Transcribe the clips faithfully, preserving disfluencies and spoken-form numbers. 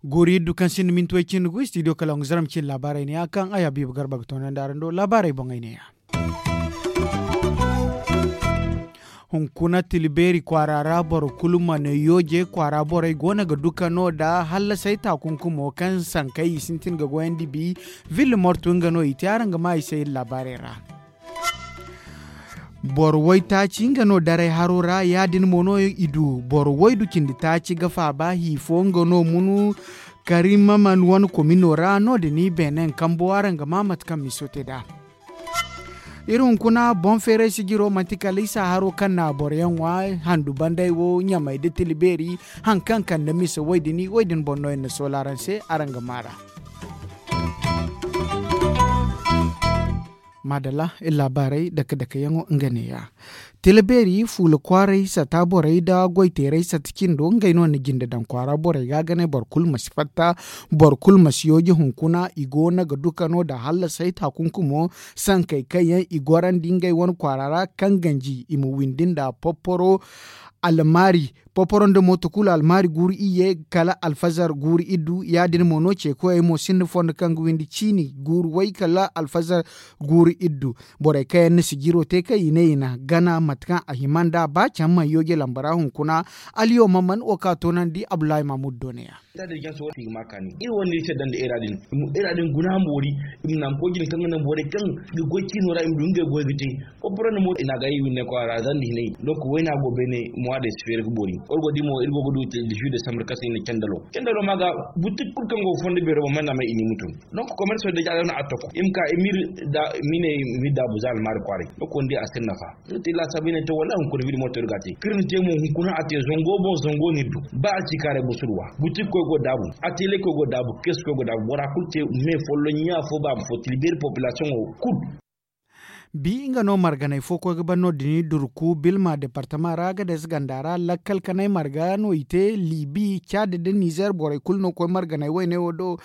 Guuri iddu kaŋ sinda minti way cindi gu studio kala nga zaram cindi laabaarey ne ya kaŋ ay habiibu garba ga toonandi araŋ do laabaarey boŋey ne ya. Hunkuna tila beeri kwaara ra boro kulu mana yooje kwaara borey go no ga duka no nda hallasay taakunkumo kaŋ sankey i sintin ga goyandi bi. Ville mortu nga no i te araŋ ga ma i se iri laabaarey ra. Boro waytaaci nga no daray haro ra ya- din mo no i du boro waydu cindi taaci ga faaba hi fo nga no munu. Karimaman wane komino ra no- din i beenen kambo araŋ ga ma mate kaŋ miso te nd'a. Iri hunkuna boŋ feeray sijiro manti kala isa haro kaŋ na boro yaŋ ŋwa handu banday wo ɲamay nda tila beeri. Haŋ kaŋ kande mise way- din way- din boŋ no iri na soola araŋ se araŋ ga maar'a. Maadalla iri laabaarey dake dake yaŋo nga neeya. Tila beeri fuula kwaaray sata borey nda goy teeray sata cindo ngey no na jinde daŋ kwaara borey ga a ga ne boro kulu ma si fatta. Boro kulu ma si yooje hunkuna i go no ga duka no nda hallasay taakunkumo sankey kaŋ yaŋ i gorandi ngey wane kwaara ra kaŋ ganji i ma windi nda popporo almaari popporo nda mooto kulu almaari guuru iyye kala alfazar guuru iddu ya- din mo no ceekoyey mo sinda fondo kaŋ ga windi ciini guuru way kala alfazar guuru iddu. Borey kaŋ yaŋ na sijiro te kaŋ i ne i na gana mate kaŋ a hima nd'a ba caŋ mana yooje lamba ra hunkuna. Aliyo ma man wo kaŋ a toonandi abdullahi mahmud do ne ya. Iri wane iri care daŋ da era din. Era din guna boori i ma naŋ koy jine kaŋ ga naŋ borey kaŋ ga goy ciino ra i ma du ngey goy ga te. Popporo nda mooto i na a ga i windi ne kwaara zandi hinay. Donk wayna go beene mois de sifeer ga boori iri go ga di mo iri go ga du. Dix-huit décembre kaŋ se i na candalo candalo ma ga butik kulu kaŋ go ga fondo beero boŋ mana may i na i mutu. Donk commerce da jaalo no a toko i ma ka i ma iri da ma i ne i ma iri daabu za almaari kwaaray donk wandi a si iri nafa. Iri te laasaabu i ne to wallaahi hunkuna iri moto iri ga a te kaŋ iri na te mo hunkuna a te zango boŋ zango no iri du. Ba a ci kaaray busurwa butik koy go daabu, a teelay koy go daabu kees koy go daabu bora kulu te me folloŋ ɲa fo baaba fo tila beeri population wo kulu. Bi nga no marganey fo koy ga ban no- din durku bilma departama ra ga des ganda ra lakkal kanay marga no i te libi caada nda nizer borey kulu no koy marganey wayne wo do.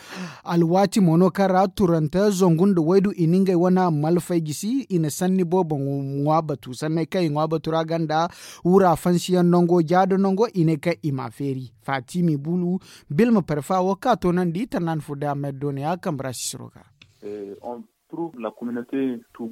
Alwaati mo no kaŋ ra turante zangu nda waydu i na ngey wane malfay gisi i na sanni boobo ŋwa batu sanney kaŋ i ŋwa batu ra ganda wura fansiyaŋ nango jaada nango i ne kaŋ i m'a feeri faatimi bulu. Bilma parfa wo kaŋ a toonandi tanaani fo day a ma yadda no ya kambe ra sisiro ga.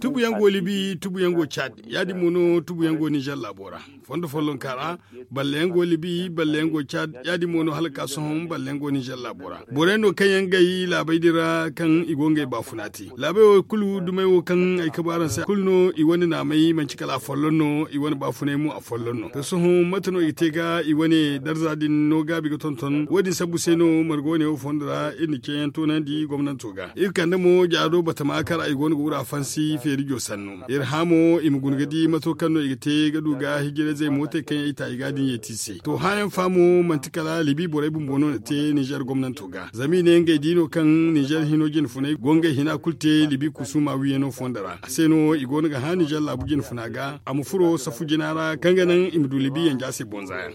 Tubuyaŋ go libi tubuyaŋ go caad ya- din mo no tubuyaŋ go nizer laabo ra. Fondo follonka ra balle yaŋ go libi balle yaŋ go caad ya- din mo no hala ka sohõ balle yaŋ go nizer laabo ra. Borey no kaŋ yaŋ gay laabey din ra kaŋ i go ngey baafuna te laabey wo kulu dumey wo kaŋ ay kabu araŋ se kulu no i wane naamey manci kala a folloŋ no i wane baafuney mo a folloŋ no to sohõ mate no i ga te ga i wane darza din no gaabi ga tonton wo- din sabbu se no marga wane wo fondo ra iri na ceeyaŋ toonandi gomnanto ga iri kande mo jaado batama kar ay go no ga wura fansi feerijo sannu iri hã mo i ma guna ga di mato kaŋ no i ga te ga du ga hijirayzey mootey kaŋ yaŋ i ta i ga din yeeti se to hãyaŋ fa mo manti kala libi borey bumbo no na te nizer gomnanto ga zama i ne ngey di no kaŋ nizer hino jinfunay go ngey hina kulu te libi kusuma wiiyano fondo ra a se no i go no ga hã nizer laabu jinfuna ga a ma furo safu jina ra kaŋ ga naŋ i ma du libi yanja se bonza yaŋ.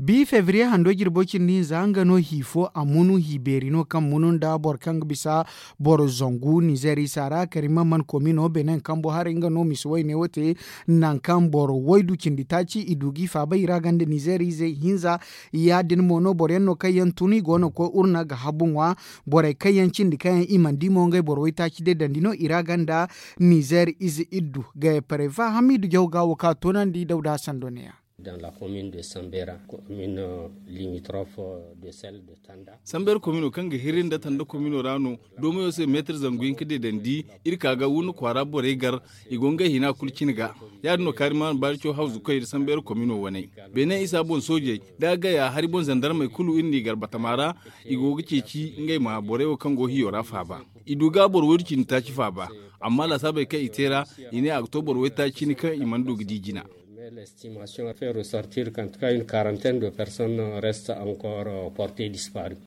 Bi febriye hando jirbo cindi hinza nga no hi fo a munu hi beeri no kaŋ munu nda boro kaŋ ga bisa boro zangu nizer isa ra karimamman komino benin kambo haray nga no misi wayne wo te. Nangu kaŋ boro waydu cindi taaci i du g'i faaba i ra ganda nizer ize hinza ya- din mo no boro yaŋ no kaŋ yaŋ tun i go no ga koy urna ga habu ŋwa. Borey kaŋ yaŋ cindi kaŋ yaŋ i mana di mo ngey boro waytaaci day dandi no i ra ganda nizer ize iddu gaya pareva hamidu jaw ga wo kaŋ a toonandi dawda sando ne ya. Dans la commune de sambera commune limitrofe de celle de tanda. Sambera komino kaŋ ga hiri nda tanda komino ra no doomayo se meetar zangu hinka deedandi. Iri ka ga wurna kwaara borey gar i go ngey hina kulu cine ga. Ya- din no kaari maanu baari caw hawzu koy iri sambera komino waney beene isa boŋ soojey da gaya hari boŋ zandarmey kulu iri n'i gar batama ra. I go ga ceeci ngey ma borey wo kaŋ go hiyo ra faaba. I du ga boro waydu cindi taaci faaba. Amma laasaabey kaŋ i te ra i ne a ga to boro waytaaci cine kaŋ i mana du ga di jina. L'estimation fait ressortir qu'en tout cas une quarantaine de personnes restent encore portées disparues.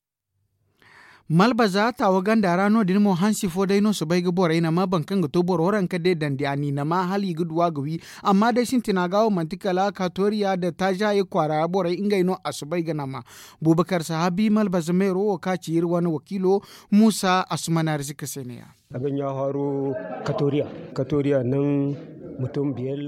Malbaza taawa ganda ra no- din mo hansi fo day no soobay ga borey nama boro kaŋ ga to boro ranka de dandi a n'i nama hala i ga du a ga wi. Amma day sintina ga wo manti kala katoriya nda taaza ye kwaara ra borey ngey no a soobay ga nama. Buubakar sahabi malbaza meero wo kaŋ a ci iri wane wakiilo muusa asumanaari zika se ne- ya. A ga ɲaaharo katoriya. Katoriya naŋ mutum biyar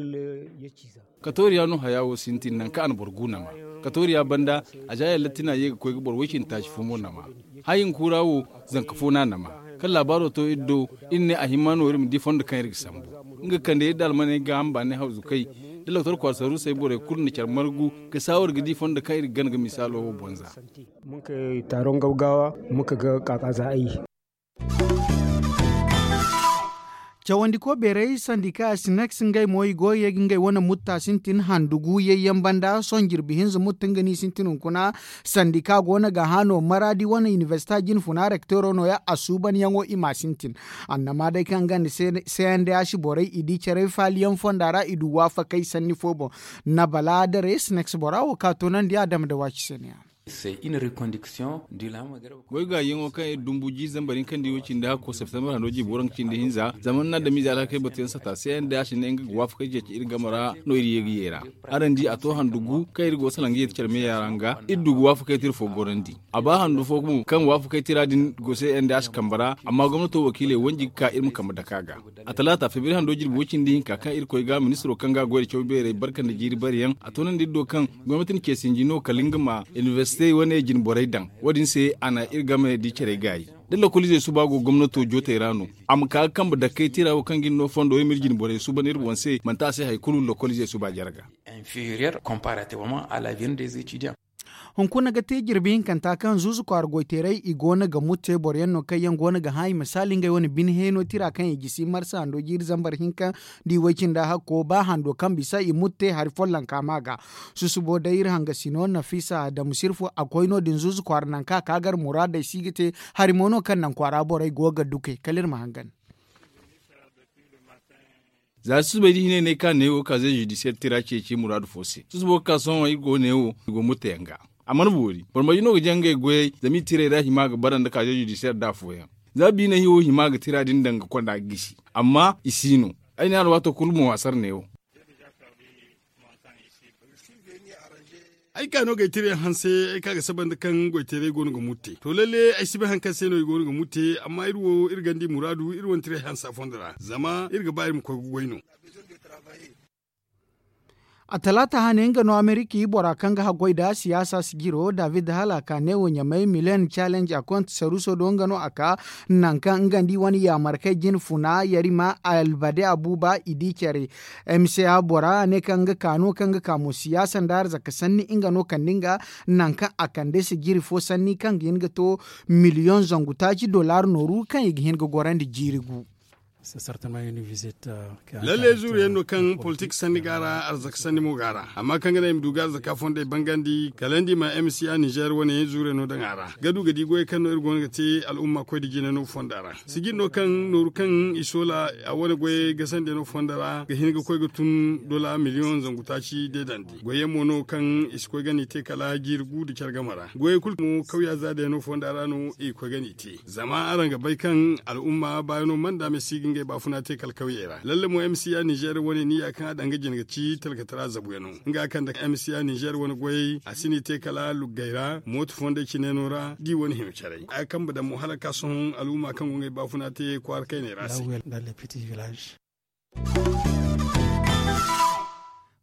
ya ciiza. Katoriya no haya wo sintin nangu kaŋ a na boro gu nama. Katoriya banda a za yalla tina ye ga koy ga boro woy cindi taaci fo mo nama. Hayi hunkura wo zanka fo no a nama. Kaŋ laabaaro to iri do, iri ne a himma no iri ma di fondo kaŋ iri ga sambu. Nga ga kande iri da almaney ga hamba ne hawzu kay da doktor kwaara saruusey borey kulu na care margu ga saawar ga di fondo kaŋ iri ga gana ga misaalo wo boŋ za. Mun ka taaron gawgawa mun ka ga kaka za ay. Cawandiko beeray sandika sineks ngey mo i go ga ye ga ngey wane mutta sintin handugu yayyaŋ banda sohõ jirbi hinza mutta nga no i sintin hunkuna. Sandika go no ga hã no maraadi wane inibersita jinfuna rekteero no- ya a suubanyaŋo i m'a sintin. Annama day kaŋ nga nda cndh borey i di care faaliyaŋ fonda ra i du waafakey sanni fo boŋ. Nabala dare sineks bora wo ka toonandi a dama nda waaci se ne- ya. Goy gaayaŋo kaŋ iri dumbu jiiri zambar hinka nda i wo cindi hakko septembar hando jiibi waranka cindi hinza zama ni na adamize alhakey batuyaŋ sata se yaŋ day a si ne nga ga waafakey ceeci iri game ra no iri ye ga ye ra. Araŋ di a to handu gu kaŋ iri go ga salaŋ ga yeeti care meeya ra nga iri du ga waafakey tira fo gorandi. A ba handu fo mo kaŋ waafakey tira din go se yaŋ day a si kambe ra. Amma gomnato wakiiley wanji ga ka iri ma kambe dake a ga. A talaata febriyeri hando jirbi way cindi hinka kaŋ iri koy ga ministiro kaŋ ga a goy nda caw beerey barka nda jiiri bareyaŋ a toonandi iri do kaŋ gomnati na ce sinji no kala nga ma inibersite wane jine borey daŋ. Wo- din se a na iri game di carey gaayi. Da lokoliizey suba go gomnato jootey ra no a ma ka ga kambe dakkey tira wo kaŋ ga iri no fondo iri ma iri jine borey suuban iri boŋ se manti a se hari kulu lokoliizey suba jarga. Inferior comparativement à la vienne des étudiants. Hunkuna ga te jirbi hinkanta kaŋ zuuzu kwaara goyteeray i go no ga mutte boro yaŋ no kaŋ yaŋ go no ga hã i ma saali ngey wane bine heeno tira kaŋ i gisi marsa hando jiiri zambar hinka nda i way-cindi hakko ba hando kaŋ bisa i mutte hari follonka ma ga. Susubo day iri hangasino nafisa adamu sirfu a koy no- din zuuzu kwaara nangu kaŋ a ka gar muraadey si ga te. Hari mo no kaŋ naŋ kwaara borey go ga duke kala iri ma hangan. Za susubay da hinay ne ka neewo kaaze zudisiyar tira ceeci muraadu fo se susubo ga ka sohõ iri go neewo i go murtayaŋ ga. A mana boori boro marje no ga jaŋ ngey goyey zama i tirey ra hima ga bara nda kaaze zudisiyar da afooyaŋ. Za biinay hiwo hima ga tira din daŋ ga konda ga gisi amma i si no. Ay ne alwaato kulu mo a sara neewo. Ay ka no ga ay tira yaŋ hanse ay ka ga saba nda kaŋ goyteeray go no ga mutte to lalle ay si bay hari kaŋ se no i go no ga mutte amma iri wo iri ganda i muraadu iri wane tira yaŋ hanse a fondo ra zama iri ga ba iri ma koy ga goy no. A talaata hane nga no amerika i bora kaŋ ga haggoy nda siyaasa sijiro david hala ka ne wo ɲamay milen challenge a konta saruuso do nga no a ka nangu kaŋ nga nda i wane yaamarkey jine funa yarima albade abuba i di care. M C A bora ne kaŋ nga ka no kaŋ ga ka mo siyaasa nda arzaka sanni nga no kande nga nangu kaŋ a kande sijiri fo sanni kaŋ ga hin ga to miliyoŋ zangu taaci dollar nooru kaŋ i ga hin ga gorandi jiiri gu. Lalle zuuriyaŋ no kaŋ politik sanni go a ra arzaka sanni mo go a ra amma kaŋ ga naŋ i ma du ga arzaka fondey bangandi kala ni di ma m c a nizer wane zuuriyaŋ no daŋ a ra ga du ga di goyey kaŋ no iri go no ga te al'umma koy nda jine no fonda ra. Sijiri no kaŋ nooru kaŋ i soola a wane goyey gasandi no fonda ra ga hin ga koy ga tun dola miliyoŋ zangu taaci deedandi goyyaŋ mo no kaŋ i si koy ga n'i te kala jiiri gu nda care game ra goyey kulu mo kawya za day no fonda ra no i ga koy ga n'i te. Zama araŋ ga bay kaŋ al'umma baayaŋo mana daamay si ga ngey baafuna te kala kawyey ra lalle mo m c a nizer wane niya kaŋ a daŋ ga jine ga ci talkatara zabuyaŋo nga kaŋ da m c a nizer wane goyey a si n'i te kala luggey ra mooto fondey cineeno ra da i wane hima caray a kambe daŋ mo hala ga ka sohõ al'umma kaŋ go ngey baafuna te kwaara kayney ra se.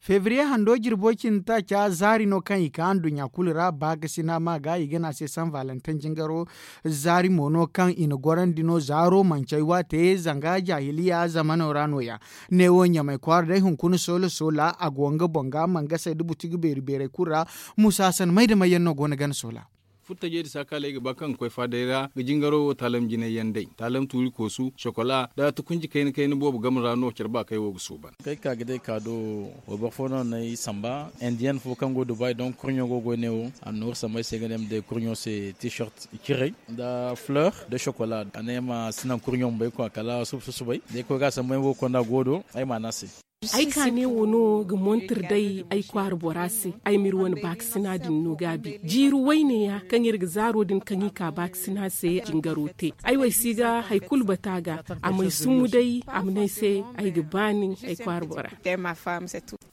Febriye hando jirbo cindi taaca zaari no kaŋ i ka nduɲɲa kulu ra baakasina ma ga i ga ne a se san valentin jingaro. Zaari mo no kaŋ i na gorandi no zaaro manci ay waate zanga jaahiliya zamano ra no- ya. Neewo ɲamay kwaara day hunkuna soola soola a go nga boŋ ga mangasey nda butigi beeri beerey kulu ra. Muusa hasan may nda may yaŋ no go no gana soola. Furtajey nda saakaley ga ba kaŋ ga koy faaday ra ga jingaro wo taalam jinay yaŋ day taalam tuuri koosu sokola nda tukunji kayna kayna boobo game ra no care baakey wo ga suuban. Kay ka ga day ka do wayboro fo no n'ay samba indiyen fo kaŋ go dubai donk kurɲo go goy ne wo a na nooru samba ay se ga ne ay ma day kurɲo se t-shirt ciray nda fleur nda sokola a ne ay ma si naŋ kurɲo ma bay kwa kala suba susubay day koy ga a samba ay wo konda go do ay ma a ne a se. Ay kaane wo no ga montir day ay kwaara bora se. Ay m'iri wane baakasina din no gaabi jiiri wayne ya kaŋ iri ga zaaro din kaŋ i ka baakasina se jingaro te. Ay wo ay si ga hari kulu bata ga. A m'ay summu day a ma ne ay se ay ga ba nin ay kwaara bora.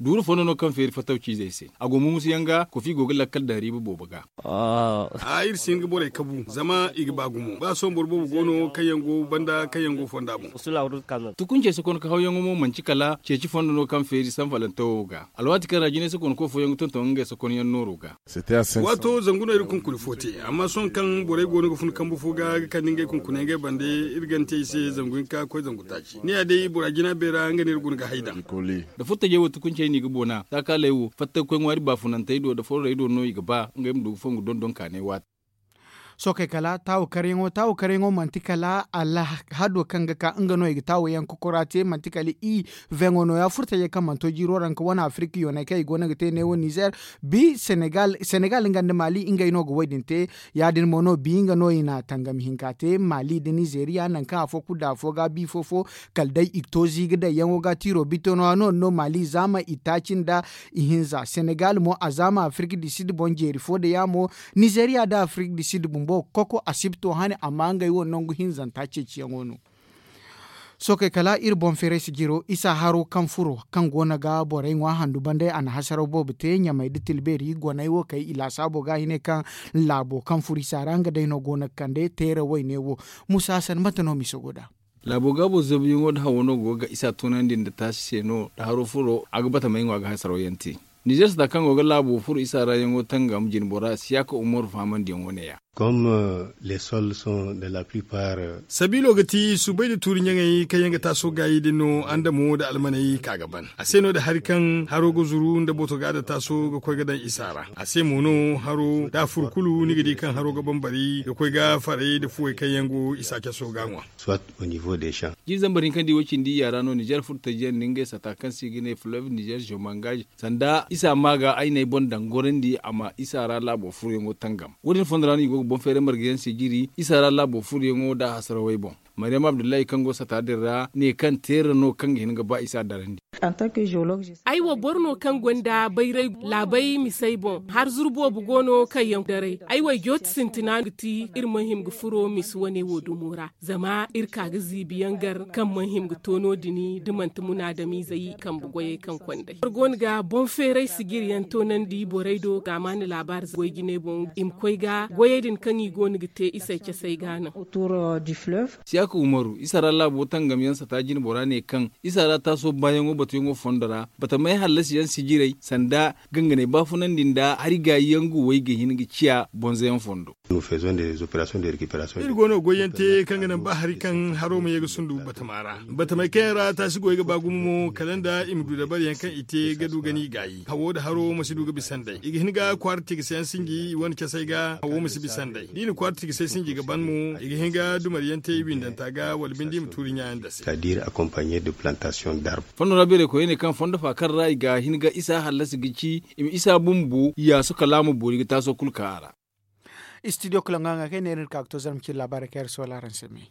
Duuru fondo no kaŋ feeri fattaw ciizey se. A go mumusu yaŋ ga kofi go ga lakkal daŋ riiba boobo ga. A iri si hin ga borey kabu zama i ga ba gumo ba sohõ boro boobo go no kaŋ yaŋ go banda kaŋ yaŋ go fonda boŋ. Tukuncey sokonka hawyaŋo mo manti kala ceeci fondo no kaŋ feeri sanfalantawo ga alwaati kaŋ ra jinay sokonko fooyaŋ ga tonton ngey sokonyaŋ nooro ga. Waato zangu no iri kunkuni fo te amma sohõ kaŋ borey go no ga fun kambu fo ga ga kande ngey kunkuney ngey bande. Iri gante i se zangu hinka ga koy zangu taaci ne ya day bora jina beera nga no iri guna ga hay daŋ. Da furtajey wo tukuncey no i ga boona taakaley wo fattakoy ŋwaari baafunantey do da fororey do no i ga ba ngey ma du ga fongu dondon kaanay waati. Sookey kala taawo karyaŋo taawo karyaŋo manti kala alhado kaŋ ga ka nga no i ga taawo yaŋ kokora te manti kala i veŋo nooya furtajey kaŋ mana to jiiro ra nga wane afirik yooney kaŋ i go no ga te neewo nizer. Bi senegal nga nda maali ngey no ga wo- din te. Ya- din mo no bi nga no i na tangam hinka te maali nda nizeriya nangu kaŋ afo kulu da afo ga bi fo fo kala day i ga to ziiga day yaŋo ga tiiro bito nooya no- din no maali zaama itaaci nda ihinza senegal mo a zaama afirik di sid boŋ jeeri fo da ya mo. Nizeriya nda afirik di sid bumbo ga koko a si ga to hane amma ngey wo nangu hinzanta ceeciyaŋo no. Sookey kala iri boŋ feeray sijiro isa haro kaŋ furo kaŋ go no ga borey ŋwa handu bande a na hasaraw boobo te ɲamey nda tilbeeri goney wo kay i laasaabo ga hine kaŋ laabo kaŋ furo isa ra nga day no go no ga kande teera wayne wo. Musa hasan mate no miso go nd'a? Laabo gaabo zabuyaŋo nda hawo no go ga isa tunandi nda taasi se no nda haro furo a ga batamey ŋwa ga hasaraw yaŋ te. Nizer sata kaŋ go ga laabo furo isa ra yaŋo tangam jinbora siyaka umaru fahamandiyaŋo ne- ya. Sabiilo ga ti subay nda tuuri ɲaŋey kaŋ yaŋ ga taaso gaayi din no andamo nda almaney ka ga ban a se no da hari kaŋ haro ga zuru nda boto ga nda taaso ga koy ga daŋ isa ra. A se mo no haro da a fur kulu ni ga di kaŋ haro ga bambari ga koy ga faray nda fuwey kaŋ yaŋ go isa caso ga ŋwa. Jiiri zambar hinka nda i wo cindi iyya ra no nizer furtajiyaŋ nda ngey sata kaŋ se i ga ne fleuve nizer zomangaz sanda isa ma ga ay n'ay boŋ daŋ gorandi a ma isa ra laabo furoyaŋo tangam. Wo- din fondo ra no i go ga boŋ feeray margayaŋ se jiri isa ra laabo furoyaŋo nda a hasarawey boŋ. Maryam abdullahi kaŋ go sata din ra ne kaŋ teera no kaŋ ga hin ga ba isa darandi. Ay wo boro no kaŋ gonda bayray laabay misey boŋ har zuru boobo go no kaŋ yaŋ daray ay wo ay jooti sintina ga ti iri ma hima ga furo misi wane wo dumo ra zama iri ka ga ziibi yaŋ gar kaŋ mana hima ga to no- din da manti munaadamiizey kambe goyey kaŋ konday boro go no ga boŋ feeray sijiri yaŋ toonandi borey do zaamaani laabaari goy jinay boŋ i ma koy ga goyey din kaŋ i go no ga te isey casey ga naŋ. Siyaaka umaru isa ra laabo tangam yaŋ sata jinbora ne kaŋ isa ra taaso baayaŋo batuyaŋo fondo ra batamey hallasi yaŋ sijirey sanda ganganey baafunandi nda hari gaayi yaŋ guwey ga hin ga ciya bonzo yaŋ fondo. Iri go no ga goy yaŋ te kaŋ ga naŋ ba hari kaŋ haro ma ye ga sundu batama ra batamey kaŋ yaŋ ra taasi goy ga ba gumo mo kala nda i ma du dabari yaŋ kaŋ i te ga du ga ni gaayi hawo nda haro ma si du ga bisa nd'ey i ga hin ga kwaara tigasey yaŋ sinji i wane casey ga hawo ma si bisa nd'ey da i na kwaara tigasey sinji ga ban mo i ga hin ga dumari yaŋ te i windanta ga wala binde i ma tuuri ɲa yaŋ dase. Fondo ra beerey koyey ne kaŋ fondo faakar ra i ga hin ga isa hallasi ga ci i ma isa bumbo yaasu kala a ma boori ga taaso kulu ka a ra. Istidiyo kalangu haŋa kaŋ ay ne iri na ka ga to zarma cine laabaarey kaŋ iri soola araŋ se me.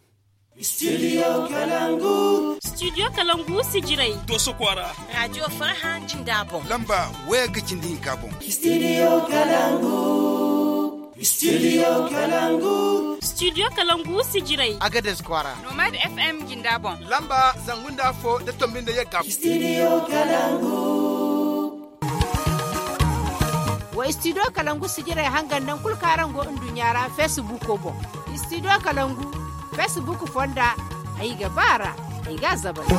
Istidiyo kalangu. Istidiyo kalangu sijirey. Dooso kwaara. Raadiyo farha jinda boŋ lamba waya ga cindi hinka boŋ. Istidiyo kalangu. Istidiyo kalangu. Istidiyo kalangu sijirey. Agades kwaara. Nomad f m jinda boŋ lamba zangu nda afo nda tombi nda yagga. Istidiyo kalangu. Wa istidiyo kalangu sijirey hangan naŋ kulu kaŋ araŋ go nduɲɲa ra feesibuuko boŋ. Istidiyo kalangu feesibuuko fonda ay ga ba a ra ay ga a zabari.